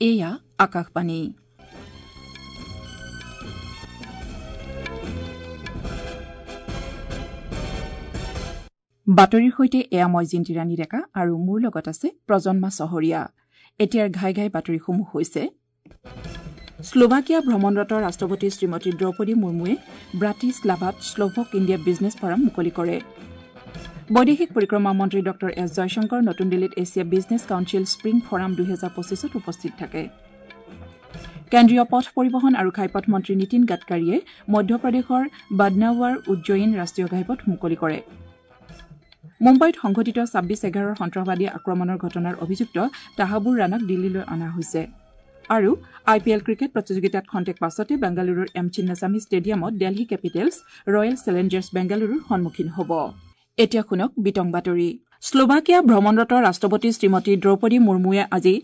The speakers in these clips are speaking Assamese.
এয়া আকাশবাণী। বাতৰিৰ সৈতে এয়া মই জিন্তিৰাণী ডেকা আৰু মোৰ লগত আছে প্ৰজন্মা চহৰীয়া। এতিয়াৰ ঘাই ঘাই বাতৰিসমূহ হৈছে: শ্লোভাকিয়া ভ্ৰমণৰত ৰাষ্ট্ৰপতি শ্ৰীমতী দ্ৰৌপদী মুৰ্মুৱে ব্ৰাটিছলাভাত শ্লোভক ইণ্ডিয়া বিজনেছ ফৰাম মুকলি কৰে। বৈদেশিক পৰিক্ৰমা মন্ত্ৰী ডঃ এছ জয়শংকৰ নতুন দিল্লীত Asia business council spring forum 2025ত উপস্থিত থাকে। কেন্দ্ৰীয় পথ পৰিবহণ আৰু ঘাইপথ মন্ত্ৰী নীতিন গাডকাৰীয়ে মধ্যপ্ৰদেশৰ বাডনাৱাৰ উজ্জয়িন ৰাষ্ট্ৰীয় ঘাইপথ মুকলি কৰে। মুম্বাইত সংঘটিত 26/11 সন্ত্ৰাসবাদী আক্ৰমণৰ ঘটনাৰ অভিযুক্ত তাহাবুৰ ৰাণাক দিল্লীলৈ অনা হৈছে। আৰু আই পি এল ক্ৰিকেট প্ৰতিযোগিতাত খন্তেক পাছতে বেংগালুৰুৰ এম চিন্নাস্বামী ষ্টেডিয়ামত দেলহি কেপিটেলছ ৰয়েল চেলেঞ্জাৰ্ছ বেংগালুৰুৰ সন্মুখীন হ'ব। এতিয়া শুনক বিতং বাতৰি। শ্লোভাকিয়া ভ্ৰমণৰত ৰাষ্ট্ৰপতি শ্ৰীমতী দ্ৰৌপদী মুৰ্মুৱে আজি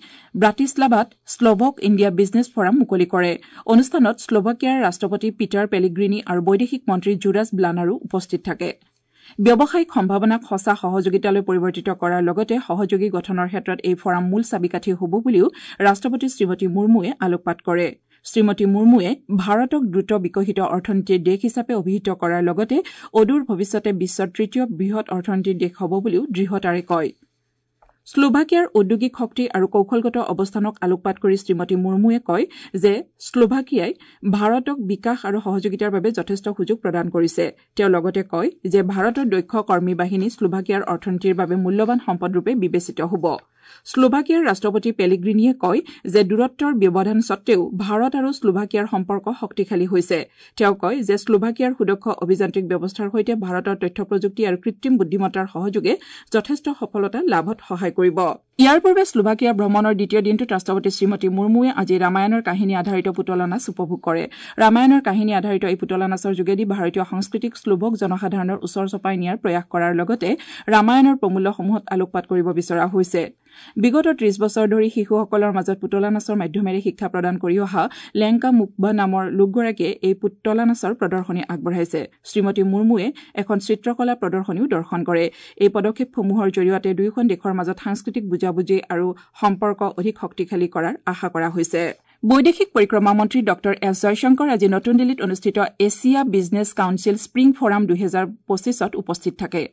ব্ৰাটিছলাভাত শ্লোভক ইণ্ডিয়া বিজনেছ ফৰাম মুকলি কৰে। অনুষ্ঠানত শ্লোভাকিয়াৰ ৰাষ্ট্ৰপতি পিটাৰ পেলিগ্ৰিনি আৰু বৈদেশিক মন্ত্ৰী জুৰাজ ব্লানাৰো উপস্থিত থাকে। ব্যৱসায়িক সম্ভাৱনাক সঁচা সহযোগিতালৈ পৰিৱৰ্তিত কৰাৰ লগতে সহযোগী গঠনৰ ক্ষেত্ৰত এই ফৰাম মূল চাবিকাঠি হ'ব বুলিও ৰাষ্ট্ৰপতি শ্ৰীমতী মুৰ্মুৱে আলোকপাত কৰে। শ্ৰীমতী মুৰ্মুৱে ভাৰতক দ্ৰুত বিকশিত অৰ্থনীতিৰ দেশ হিচাপে অভিহিত কৰাৰ লগতে অদূৰ ভৱিষ্যতে বিশ্বৰ তৃতীয় বৃহৎ অৰ্থনীতিৰ দেশ হ'ব বুলিও দৃঢ়তাৰে কয়। শ্লোভাকিয়াৰ ঔদ্যোগিক শক্তি আৰু কৌশলগত অৱস্থানক আলোকপাত কৰি শ্ৰীমতী মুৰ্মুৱে কয় যে শ্লোভাকিয়াই ভাৰতক বিকাশ আৰু সহযোগিতাৰ বাবে যথেষ্ট সুযোগ প্ৰদান কৰিছে। তেওঁ লগতে কয় যে ভাৰতৰ দক্ষ কৰ্মী বাহিনী শ্লোভাকিয়াৰ অৰ্থনীতিৰ বাবে মূল্যৱান সম্পদৰূপে বিবেচিত হ'ব। শ্লোভাকিয়াৰ ৰাষ্ট্ৰপতি পেলিগ্ৰিনিয়ে কয় যে দূৰত্বৰ ব্যৱধান সত্বেও ভাৰত আৰু শ্লোভাকিয়াৰ সম্পৰ্ক শক্তিশালী হৈছে। তেওঁ কয় যে শ্লোভাকিয়াৰ সুদক্ষ অভিযান্ত্ৰিক ব্যৱস্থাৰ সৈতে ভাৰতৰ তথ্য প্ৰযুক্তি আৰু কৃত্ৰিম বুদ্ধিমত্তাৰ সহযোগে যথেষ্ট সফলতা লাভত সহায় কৰিব। ইয়াৰ পূৰ্বে শ্লোভাকিয়া ভ্ৰমণৰ দ্বিতীয় দিনটোত ৰাষ্ট্ৰপতি শ্ৰীমতী মুৰ্মুৱে আজি ৰামায়ণৰ কাহিনী আধাৰিত পুতলা নাচ উপভোগ কৰে। ৰামায়ণৰ কাহিনী আধাৰিত এই পুতলা নাচৰ যোগেদি ভাৰতীয় সংস্কৃতিক শ্লোভক জনসাধাৰণৰ ওচৰ চপাই নিয়াৰ প্ৰয়াস কৰাৰ লগতে ৰামায়ণৰ প্ৰমূল্যসমূহত আলোকপাত কৰিব বিচৰা হৈছে। বিগত 30 বছৰ ধৰি শিশুসকলৰ মাজত পুতলা নাচৰ মাধ্যমেৰে শিক্ষা প্ৰদান কৰি অহা লেংকা মুকবা নামৰ লোকগৰাকীয়ে এই পুতলা নাচৰ প্ৰদৰ্শনী আগবঢ়াইছে। শ্ৰীমতী মুৰ্মুৱে এখন চিত্ৰকলা প্ৰদৰ্শনীও দৰ্শন কৰে। এই পদক্ষেপসমূহৰ জৰিয়তে দুয়োখন দেশৰ মাজত সাংস্কৃতিক বুজাবুজি আৰু সম্পৰ্ক অধিক শক্তিশালী কৰাৰ আশা কৰা হৈছে। বৈদেশিক পৰিক্ৰমা মন্ত্ৰী ডঃ এছ জয়শংকৰ আজি নতুন দিল্লীত অনুষ্ঠিত Asia business council spring forum 2025ত উপস্থিত থাকে।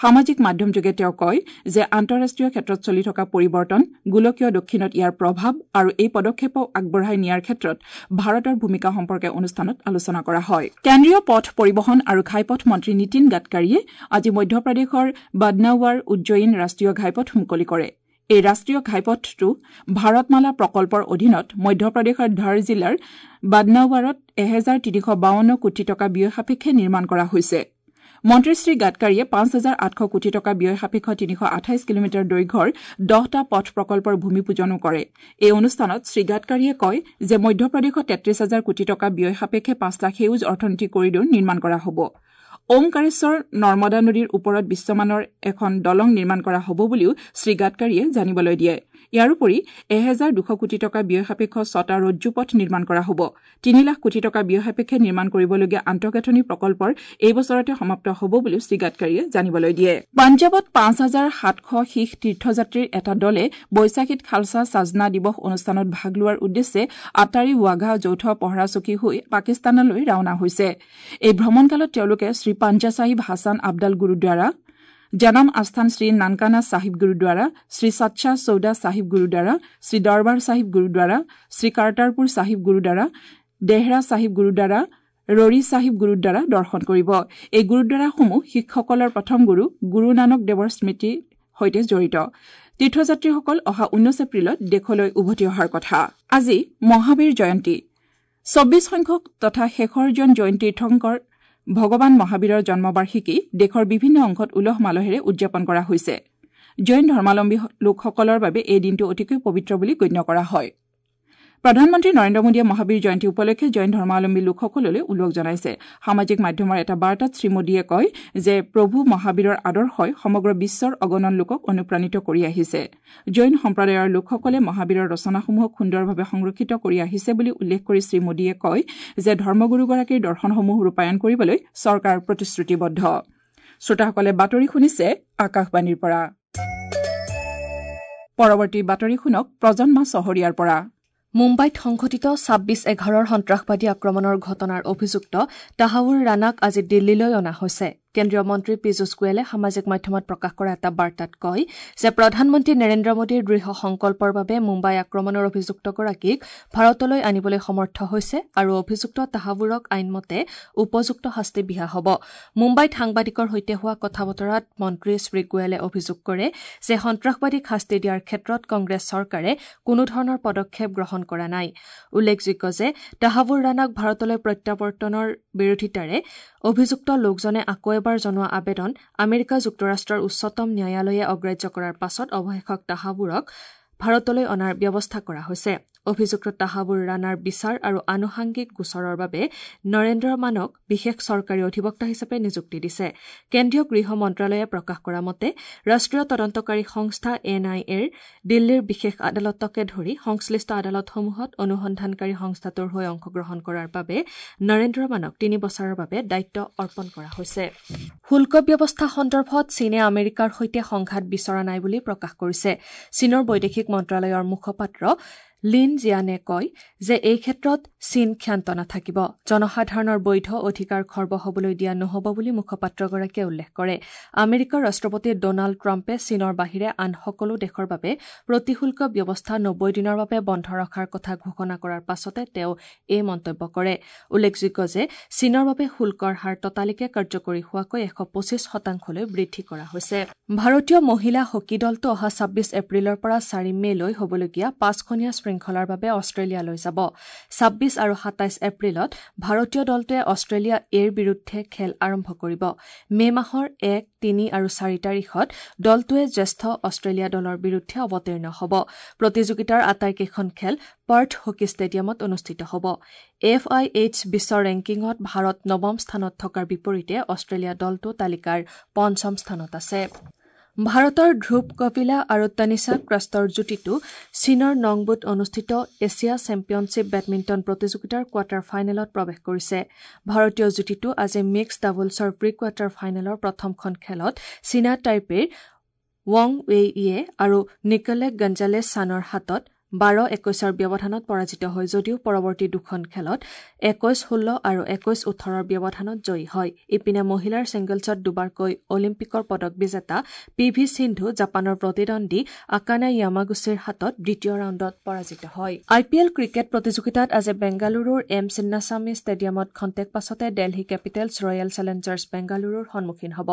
সামাজিক মাধ্যমযোগে তেওঁ কয় যে আন্তঃৰাষ্ট্ৰীয় ক্ষেত্ৰত চলি থকা পৰিৱৰ্তন, গোলকীয় দক্ষিণত ইয়াৰ প্ৰভাৱ আৰু এই পদক্ষেপক আগবঢ়াই নিয়াৰ ক্ষেত্ৰত ভাৰতৰ ভূমিকা সম্পৰ্কে অনুষ্ঠানত আলোচনা কৰা হয়। কেন্দ্ৰীয় পথ পৰিবহণ আৰু ঘাইপথ মন্ত্ৰী নীতিন গাডকাৰীয়ে আজি মধ্যপ্ৰদেশৰ বাডনাৱাৰ উজ্জয়িন ৰাষ্ট্ৰীয় ঘাইপথ মুকলি কৰে। এই ৰাষ্ট্ৰীয় ঘাইপথটো ভাৰতমালা প্ৰকল্পৰ অধীনত মধ্যপ্ৰদেশৰ ধাৰ জিলাৰ বাডনাৱাৰত 1352 কোটি টকা ব্যয় সাপেক্ষে নিৰ্মাণ কৰা হৈছে। মন্ত্ৰী শ্ৰী গাডকাৰীয়ে 5800 কোটি টকা ব্যয় সাপেক্ষ 328 কিলোমিটাৰ দৈৰ্ঘ্যৰ 10টা পথ প্ৰকল্পৰ ভূমিপূজনো কৰে। এই অনুষ্ঠানত শ্ৰী গাডকাৰীয়ে কয় যে মধ্যপ্ৰদেশত 33,000 কোটি টকা ব্যয় সাপেক্ষে 5টা সেউজ অৰ্থনীতি কৰিডৰ নিৰ্মাণ কৰা হ'ব। ওমকাৰেশ্বৰ নৰ্মদা নদীৰ ওপৰত বিশ্বমানৰ এখন দলং নিৰ্মাণ কৰা হ'ব বুলিও শ্ৰী গাডকাৰীয়ে জানিবলৈ দিয়ে। ইয়াৰোপৰি 1200 কোটি টকা ব্যয় সাপেক্ষ 6টা ৰজ্জুপথ নিৰ্মাণ কৰা হ'ব। 3 লাখ কোটি টকা ব্যয় সাপেক্ষে নিৰ্মাণ কৰিবলগীয়া আন্তঃগাঁথনি প্ৰকল্পৰ এই বছৰতে সমাপ্ত হ'ব বুলিও শ্ৰী গাডকাৰীয়ে জানিবলৈ দিয়ে। পাঞ্জাৱত 5700 শিখ তীৰ্থযাত্ৰীৰ এটা দলে বৈশাখীত খালছা সাজনা দিৱস অনুষ্ঠানত ভাগ লোৱাৰ উদ্দেশ্যে আটাৰী ৱাঘা যৌথ পহৰা চকী হৈ পাকিস্তানলৈ ৰাওনা হৈছে। এই ভ্ৰমণকালত তেওঁলোকে শ্ৰী পাঞ্জা চাহিব হাছান আবদাল গুৰুদ্বাৰা, জনম আস্থান শ্ৰী নানকানা চাহিব গুৰুদ্বাৰা, শ্ৰী সাচ্চা চৌদা চাহিব গুৰুদ্বাৰা, শ্ৰী দৰবাৰ চাহিব গুৰুদ্বাৰা, শ্ৰী কাৰ্টাৰপুৰ চাহিব গুৰুদ্বাৰা, দেহৰা চাহিব গুৰুদ্বাৰা, ৰৰি চাহিব গুৰুদ্বাৰা দৰ্শন কৰিব। এই গুৰুদ্বাৰাসমূহ শিখসকলৰ প্ৰথম গুৰু গুৰু নানক দেৱৰ স্মৃতিৰ সৈতে জড়িত। তীৰ্থযাত্ৰীসকল অহা 19 এপ্ৰিলত দেশলৈ উভতি অহাৰ কথা। আজি মহাবীৰ জয়ন্তী। 24 সংখ্যক তথা শেষৰজন জৈন তীৰ্থংকৰ ভগৱান মহাবীৰৰ জন্মবাৰ্ষিকী দেশৰ বিভিন্ন অংশত উলহ মালহেৰে উদযাপন কৰা হৈছে। জৈন ধৰ্মাৱলম্বী লোকসকলৰ বাবে এই দিনটো অতিকৈ পবিত্ৰ বুলি গণ্য কৰা হয়। প্ৰধানমন্ত্ৰী নৰেন্দ্ৰ মোদীয়ে মহাবীৰ জয়ন্তী উপলক্ষে জৈন ধৰ্মাৱলম্বী লোকসকললৈ ওলগ জনাইছে। সামাজিক মাধ্যমৰ এটা বাৰ্তাত শ্ৰীমোদীয়ে কয় যে প্ৰভু মহাবীৰৰ আদৰ্শই সমগ্ৰ বিশ্বৰ অগণন লোকক অনুপ্ৰাণিত কৰি আহিছে। জৈন সম্প্ৰদায়ৰ লোকসকলে মহাবীৰৰ ৰচনাসমূহক সুন্দৰভাৱে সংৰক্ষিত কৰি আহিছে বুলি উল্লেখ কৰি শ্ৰীমোদীয়ে কয় যে ধৰ্মগুৰুগৰাকীৰ দৰ্শনসমূহ ৰূপায়ণ কৰিবলৈ চৰকাৰ প্ৰতিশ্ৰুতিবদ্ধ। শ্ৰোতাসকলে বাতৰি শুনিছে আকাশবাণীৰ পৰা। পৰৱৰ্তী বাতৰি শুনক প্ৰজন্মা চহৰীয়াৰ পৰা। মুম্বাইত সংঘটিত ২৬/১১ সন্ত্ৰাসবাদী আক্ৰমণৰ ঘটনাৰ অভিযুক্ত তাহাউৰ ৰাণাক আজি দিল্লীলৈ অনা হৈছে। কেন্দ্ৰীয় মন্ত্ৰী পীযুষ গোৱেলে সামাজিক মাধ্যমত প্ৰকাশ কৰা এটা বাৰ্তাত কয় যে প্ৰধানমন্ত্ৰী নৰেন্দ্ৰ মোদীৰ দৃঢ় সংকল্পৰ বাবে মুম্বাই আক্ৰমণৰ অভিযুক্তগৰাকীক ভাৰতলৈ আনিবলৈ সমৰ্থ হৈছে আৰু অভিযুক্ত তাহাবুৰক আইনমতে উপযুক্ত শাস্তি বিহা হ'ব। মুম্বাইত সাংবাদিকৰ সৈতে হোৱা কথা বতৰাত মন্ত্ৰী শ্ৰী গোৱেলে অভিযোগ কৰে যে সন্ত্ৰাসবাদীক শাস্তি দিয়াৰ ক্ষেত্ৰত কংগ্ৰেছ চৰকাৰে কোনোধৰণৰ পদক্ষেপ গ্ৰহণ কৰা নাই। উল্লেখযোগ্য যে তাহাবুৰ ৰাণাক ভাৰতলৈ প্ৰত্যাৱৰ্তনৰ বিৰোধিতাৰে অভিযুক্ত লোকজনে আকৌ এবাৰ জনোৱা আবেদন আমেৰিকা যুক্তৰাষ্ট্ৰৰ উচ্চতম ন্যায়ালয়ে অগ্ৰাহ্য কৰাৰ পাছত অৱশেষত তাহাবুৰক ভাৰতলৈ অনাৰ ব্যৱস্থা কৰা হৈছে। অভিযুক্ত তাহাবুৰ ৰাণাৰ বিচাৰ আৰু আনুষাংগিক গোচৰৰ বাবে নৰেন্দ্ৰ মানক বিশেষ চৰকাৰী অধিবক্তা হিচাপে নিযুক্তি দিছে। কেন্দ্ৰীয় গৃহ মন্ত্ৰালয়ে প্ৰকাশ কৰা মতে ৰাষ্ট্ৰীয় তদন্তকাৰী সংস্থা এন আই এৰ দিল্লীৰ বিশেষ আদালতকে ধৰি সংশ্লিষ্ট আদালতসমূহত অনুসন্ধানকাৰী সংস্থাটোৰ হৈ অংশগ্ৰহণ কৰাৰ বাবে নৰেন্দ্ৰ মানক ৩ বছৰৰ বাবে দায়িত্ব অৰ্পণ কৰা হৈছে। শুল্ক ব্যৱস্থা সন্দৰ্ভত চীনে আমেৰিকাৰ সৈতে সংঘাত বিচৰা নাই বুলি প্ৰকাশ কৰিছে। চীনৰ বৈদেশিক মন্ত্ৰালয়ৰ মুখপাত্ৰ লিন জিয়ানে কয় যে এই ক্ষেত্ৰত চীন ক্ষান্ত নাথাকিব, জনসাধাৰণৰ বৈধ অধিকাৰ খৰ্ব হ'বলৈ দিয়া নহ'ব বুলি মুখপাত্ৰগৰাকীয়ে উল্লেখ কৰে। আমেৰিকাৰ ৰাষ্ট্ৰপতি ডনাল্ড ট্ৰাম্পে চীনৰ বাহিৰে আন সকলো দেশৰ বাবে প্ৰতিশুল্ক ব্যৱস্থা ৯০ দিনৰ বাবে বন্ধ ৰখাৰ কথা ঘোষণা কৰাৰ পাছতে তেওঁ এই মন্তব্য কৰে। উল্লেখযোগ্য যে চীনৰ বাবে শুল্কৰ হাৰ ততালিকে কাৰ্যকৰী হোৱাকৈ ১২৫% বৃদ্ধি কৰা হৈছে। ভাৰতীয় মহিলা হকী দলটো অহা ২৬ এপ্ৰিলৰ পৰা ৪ মে'লৈ হ'বলগীয়া ৫খনীয়া শৃংখলাৰ বাবে অষ্ট্ৰেলিয়ালৈ যাব। ২৬ আৰু ২৭ এপ্ৰিলত ভাৰতীয় দলটোৱে অষ্ট্ৰেলিয়া এৰ বিৰুদ্ধে খেল আৰম্ভ কৰিব। মে' মাহৰ ১, ৩ আৰু ৪ তাৰিখত দলটোৱে জ্যেষ্ঠ অষ্ট্ৰেলিয়া দলৰ বিৰুদ্ধে অৱতীৰ্ণ হ'ব। প্ৰতিযোগিতাৰ আটাইকেইখন খেল পাৰ্থ হকী ষ্টেডিয়ামত অনুষ্ঠিত হ'ব। এফ আই এইচ বিশ্ব ৰেংকিঙত ভাৰত নৱম স্থানত থকাৰ বিপৰীতে অষ্ট্ৰেলিয়া দলটো তালিকাৰ পঞ্চম স্থানত আছে। ভাৰতৰ ধ্ৰুৱ কপিলা আৰু তনিষা ক্ৰাষ্টৰ যুটিটো চীনৰ নংবুত অনুষ্ঠিত এছিয়া চেম্পিয়নশ্বিপ বেডমিণ্টন প্ৰতিযোগিতাৰ কোৱাৰ্টাৰ ফাইনেলত প্ৰৱেশ কৰিছে। ভাৰতীয় যুটিটো আজি মিক্সড ডাবলছৰ প্ৰি কোৱাৰ্টাৰ ফাইনেলৰ প্ৰথমখন খেলত চীনা টাইপেৰ ৱাং ৱেই ইয়ে আৰু নিকলে গঞ্জালেছ ছানৰ হাতত ১২-২১ ব্যৱধানত পৰাজিত হয় যদিও পৰৱৰ্তী দুখন খেলত ২১-১৬ আৰু ২১-১৮ ব্যৱধানত জয়ী হয়। ইপিনে মহিলাৰ ছিংগলছত দুবাৰকৈ অলিম্পিকৰ পদক বিজেতা পি ভি সিন্ধু জাপানৰ প্ৰতিদ্বন্দ্বী আকানা য়ামাগুচিৰ হাতত দ্বিতীয় ৰাউণ্ডত পৰাজিত হয়। আই পি এল ক্ৰিকেট প্ৰতিযোগিতাত আজি বেংগালুৰুৰ এম চিন্নাস্বামী ষ্টেডিয়ামত খন্তেক পাছতে দেলহি কেপিটেলছ ৰয়েল চেলেঞ্জাৰ্ছ বেংগালুৰুৰ সন্মুখীন হ'ব।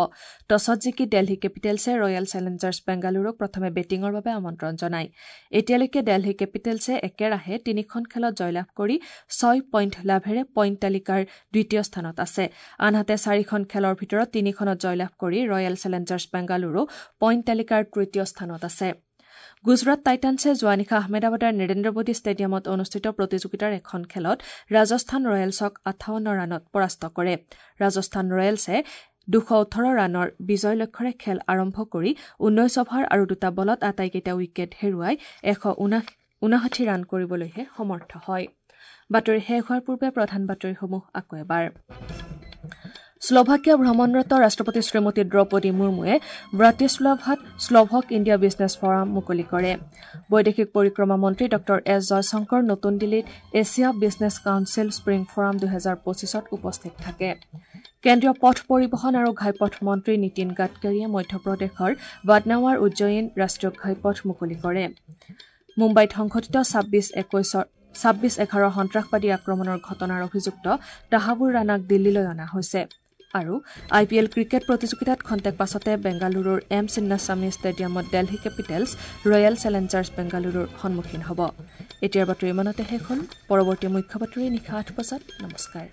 টছত জিকি দেলহি কেপিটেলছে ৰয়েল চেলেঞ্জাৰ্ছ বেংগালুৰুক প্ৰথমে বেটিঙৰ বাবে আমন্ত্ৰণ জনায়। এতিয়ালৈকে দেলহি কেপিটেলছে একেৰাহে ৩খন খেলত জয়লাভ কৰি ৬ পইণ্ট লাভেৰে পইণ্ট তালিকাৰ দ্বিতীয় স্থানত আছে। আনহাতে ৪খন খেলৰ ভিতৰত ৩খনত জয়লাভ কৰি ৰয়েল চেলেঞ্জাৰ্ছ বেংগালুৰু পইণ্ট তালিকাৰ তৃতীয় স্থানত আছে। গুজৰাট টাইটানছে যোৱা নিশা আহমেদাবাদৰ নৰেন্দ্ৰ মোদী ষ্টেডিয়ামত অনুষ্ঠিত প্ৰতিযোগিতাৰ এখন খেলত ৰাজস্থান ৰয়েলছক ৫৮ ৰানত পৰাস্ত কৰে। ৰাজস্থান ৰয়েলছে ২১৮ ৰানৰ বিজয় লক্ষ্যৰে খেল আৰম্ভ কৰি ১৯ অভাৰ আৰু ২টা বলত আটাইকেইটা উইকেট হেৰুৱাই ১৫৯ ৰান কৰিবলৈহে সমৰ্থ হয়। বাতৰি শেষ হোৱাৰ পূৰ্বে প্ৰধান বাতৰিসমূহ আকৌ এবাৰ। শ্লোভাকিয়া ভ্ৰমণৰত ৰাষ্ট্ৰপতি শ্ৰীমতী দ্ৰৌপদী মুৰ্মুৱে ব্ৰাটিশ্লাভাত শ্লোভক ইণ্ডিয়া বিজনেছ ফৰাম মুকলি কৰে। বৈদেশিক পৰিক্ৰমা মন্ত্ৰী ডঃ এছ জয়শংকৰ নতুন দিল্লীত Asia business council spring forum ২০২৫ত উপস্থিত থাকে। কেন্দ্ৰীয় পথ পৰিবহণ আৰু ঘাইপথ মন্ত্ৰী নীতিন গাডকাৰীয়ে মধ্যপ্ৰদেশৰ বাডনাৱাৰ উজ্জয়িন ৰাষ্ট্ৰীয় ঘাইপথ মুকলি কৰে। মুম্বাইত সংঘটিত ২৬/১১ সন্ত্ৰাসবাদী আক্ৰমণৰ ঘটনাৰ অভিযুক্ত তাহাবুৰ ৰাণাক দিল্লীলৈ অনা হৈছে। আৰু আই পি এল ক্ৰিকেট প্ৰতিযোগিতাত খন্তেক পাছতে বেংগালুৰুৰ এম চিন্নাস্বামী ষ্টেডিয়ামত দেলহি কেপিটেলছ ৰয়েল চেলেঞ্জাৰ্ছ বেংগালুৰুৰ সন্মুখীন হ'ব। এতিয়াৰ বাতৰি ইমানতে শেষ হ'ল। পৰৱৰ্তী মুখ্য বাতৰি নিশা ৮ বজাত। নমস্কাৰ।